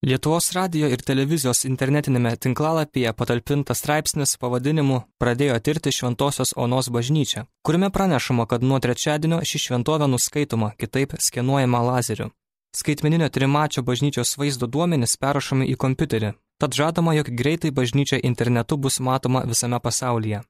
Lietuvos radijo ir televizijos internetinėme tinklalapyje patalpintas straipsnis pavadinimu Pradėjo tirti Šventosios Onos bažnyčią, kuriame pranešama, kad nuo trečiadienio ši šventovė nuskaitoma, kitaip skenuojama lazeriu. Skaitmeninio trimačio bažnyčios vaizdo duomenys perrašomi į kompiuterį, tad žadama, jog greitai bažnyčia internetu bus matoma visame pasaulyje.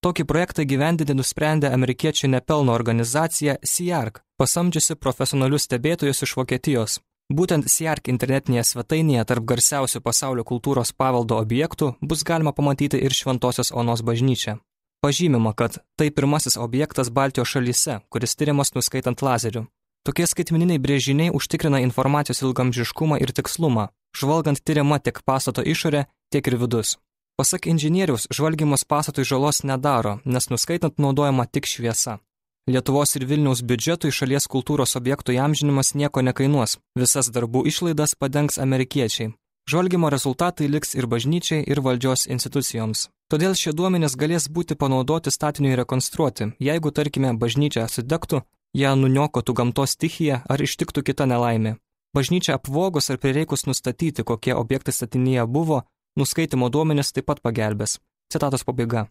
Tokį projektą gyvendinti nusprendė amerikiečių nepelno organizacija SEARC, pasamdžiusi profesionalius stebėtojus iš Vokietijos. Būtent SEARC internetinėje svetainėje tarp garsiausių pasaulio kultūros paveldo objektų bus galima pamatyti ir Šventosios Onos bažnyčią. Pažymima, kad tai pirmasis objektas Baltijos šalyse, kuris tyriamas nuskaitant lazeriu. Tokie skaitmeniniai brėžiniai užtikrina informacijos ilgamžiškumą ir tikslumą, žvalgant tyriama tiek pastato išorė, tiek ir vidus. Pasak inžinieriaus, žvalgymas pastatui žalos nedaro, nes nuskaitant naudojama tik šviesa. Lietuvos ir Vilniaus biudžetui šalies kultūros objektų įamžinimas nieko nekainuos, visas darbų išlaidas padengs amerikiečiai. Žvalgymo rezultatai liks ir bažnyčiai, ir valdžios institucijoms. Todėl šie duomenys galės būti panaudoti statiniui rekonstruoti, jeigu, tarkime, bažnyčia sudegtų, ją nuniokotų gamtos stichija ar ištiktų kita nelaimė. Bažnyčia apvogus ar prireikus nustatyti, kokie objektai statinyje buvo, nuskaitimo duomenys taip pat pagelbės. Citatos pabaiga.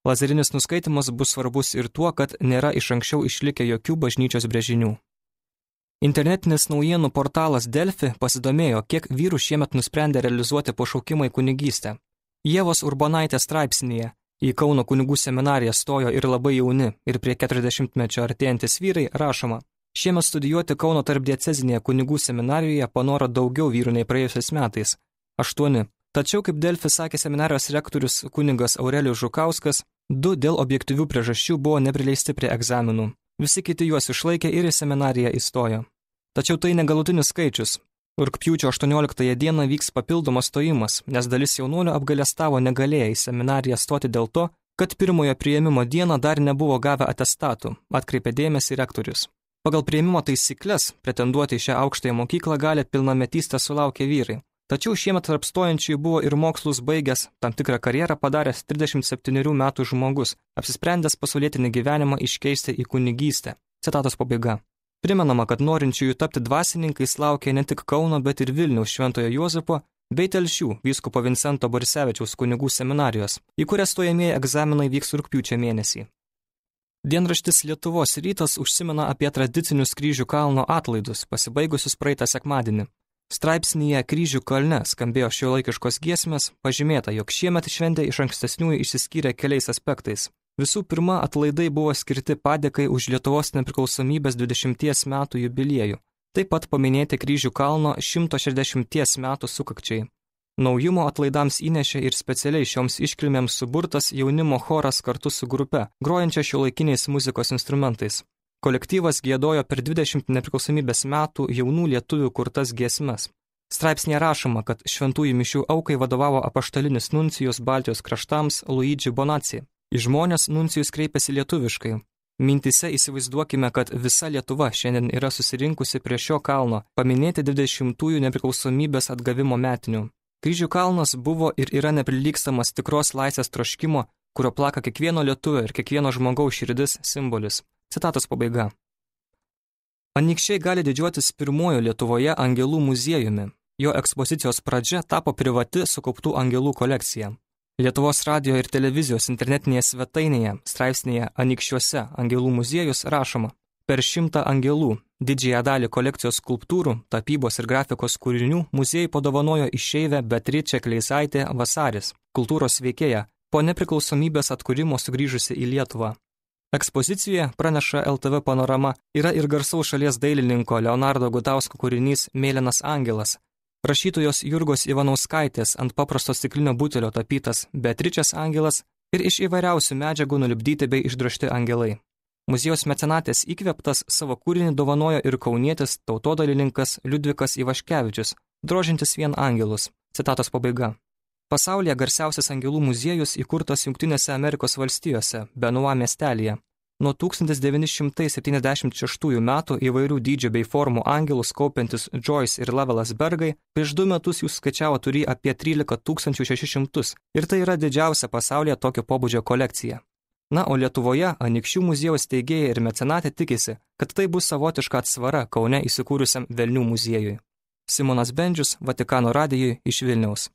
Lazerinis nuskaitimas bus svarbus ir tuo, kad nėra iš anksčiau išlikę jokių bažnyčios brėžinių. Internetinis naujienų portalas Delfi pasidomėjo, kiek vyrų šiemet nusprendė realizuoti pašaukimą į kunigystę. Ievos Urbonaitės straipsnyje į Kauno kunigų seminariją stojo ir labai jauni, ir prie 40-mečio artėjantis vyrai rašoma. Šiemet studijuoti Kauno tarpdiecezinėje kunigų seminarijoje panoro daugiau vyrų nei praėjusiais metais – 8. Tačiau, kaip Delfi sakė seminarijos rektorius kunigas Aurelijus Žukauskas, 2 dėl objektyvių priežasčių buvo neprileisti prie egzaminų. Visi kiti juos išlaikė ir į seminariją įstojo. Tačiau tai negalutinis skaičius. Rugpjūčio 18 dieną vyks papildomas stojimas, nes dalis jaunuolių apgailestavo negalėję į seminariją stoti dėl to, kad pirmojo priėmimo dieną dar nebuvo gavę atestatų, atkreipė dėmesį rektorius. Pagal priėmimo taisyklės pretenduoti į šią aukštąją mokyklą gali pilnametystę sulaukę vyrai. Tačiau šiemet tarp stojančiųjų buvo ir mokslus baigęs, tam tikrą karjerą padaręs 37 metų žmogus, apsisprendęs pasaulietinį gyvenimą iškeisti į kunigystę. Citatos pabaiga. Primenama, kad norinčiųjų tapti dvasininkais laukia ne tik Kauno, bet ir Vilniaus Šventojo Juozapo bei Telšių vyskupo Vincento Borisevičiaus kunigų seminarijos, į kurias stojamieji egzaminai vyks rugpjūčio mėnesį. Dienraštis Lietuvos rytas užsimena apie tradicinius Kryžių kalno atlaidus, pasibaigusius praeitą sekmadienį. Straipsnyje Kryžių kalne skambėjo šiuolaikiškos giesmės, pažymėta, jog šiemet šventė iš ankstesniųjų išsiskyrė keliais aspektais. Visų pirma, atlaidai buvo skirti padėkai už Lietuvos nepriklausomybės 20 metų jubiliejų. Taip pat paminėti Kryžių kalno 160 metų sukakčiai. Naujumo atlaidams įnešė ir specialiai šioms iškilmėms suburtas jaunimo choras kartu su grupe, grojančia šiuolaikiniais muzikos instrumentais. Kolektyvas giedojo per 20 nepriklausomybės metų jaunų lietuvių kurtas giesmes. Straipsnėje rašoma, kad šventųjų mišių aukai vadovavo apaštalinis nuncijus Baltijos kraštams Luigi Bonacci. Į žmonės nuncijus kreipėsi lietuviškai. Mintise įsivaizduokime, kad visa Lietuva šiandien yra susirinkusi prie šio kalno paminėti 20-ųjų nepriklausomybės atgavimo metinių. Kryžių kalnas buvo ir yra neprilygstamas tikros laisvės troškimo, kurio plaka kiekvieno lietuvio ir kiekvieno žmogaus širdis simbolis. Citatos pabaiga. Anykščiai gali didžiuotis pirmuoju Lietuvoje angelų muziejumi. Jo ekspozicijos pradžia tapo privati sukauptų angelų kolekcija. Lietuvos radijo ir televizijos internetinėje svetainėje, straipsnėje Anykščiuose angelų muziejus rašoma. Per 100 angelų, didžiąją dalį kolekcijos skulptūrų, tapybos ir grafikos kūrinių muziejai padovanojo išeivę Beatričė Kleisaitė Vasaris, kultūros veikėja, po nepriklausomybės atkūrimo sugrįžusi į Lietuvą. Ekspozicijoje, praneša LTV Panorama, yra ir garsaus šalies dailininko Leonardo Gutausko kūrinys Mėlynas angelas, rašytojos Jurgos Ivanauskaitės ant paprasto stiklinio butelio tapytas Beatričės angelas ir iš įvairiausių medžiagų nulipdyti bei išdrožti angelai. Muziejaus mecenatės įkvėptas savo kūrinį dovanojo ir kaunietis tautodailininkas Liudvikas Ivaškevičius, drožintis vien angelus. Citatos pabaiga. Pasaulyje garsiausias angelų muziejus įkurtas Jungtinėse Amerikos valstijose, Benua miestelyje. Nuo 1976 metų įvairių dydžių bei formų angelus kaupiantis Joyce ir Lovelas Bergai prieš 2 metus jų skaičiavo turį apie 13 600 ir tai yra didžiausia pasaulyje tokio pobūdžio kolekcija. Na, o Lietuvoje Anykščių muziejaus steigėjai ir mecenatė tikisi, kad tai bus savotiška atsvara Kaune įsikūrusiam Velnių muziejui. Simonas Bendžius, Vatikano radijui iš Vilniaus.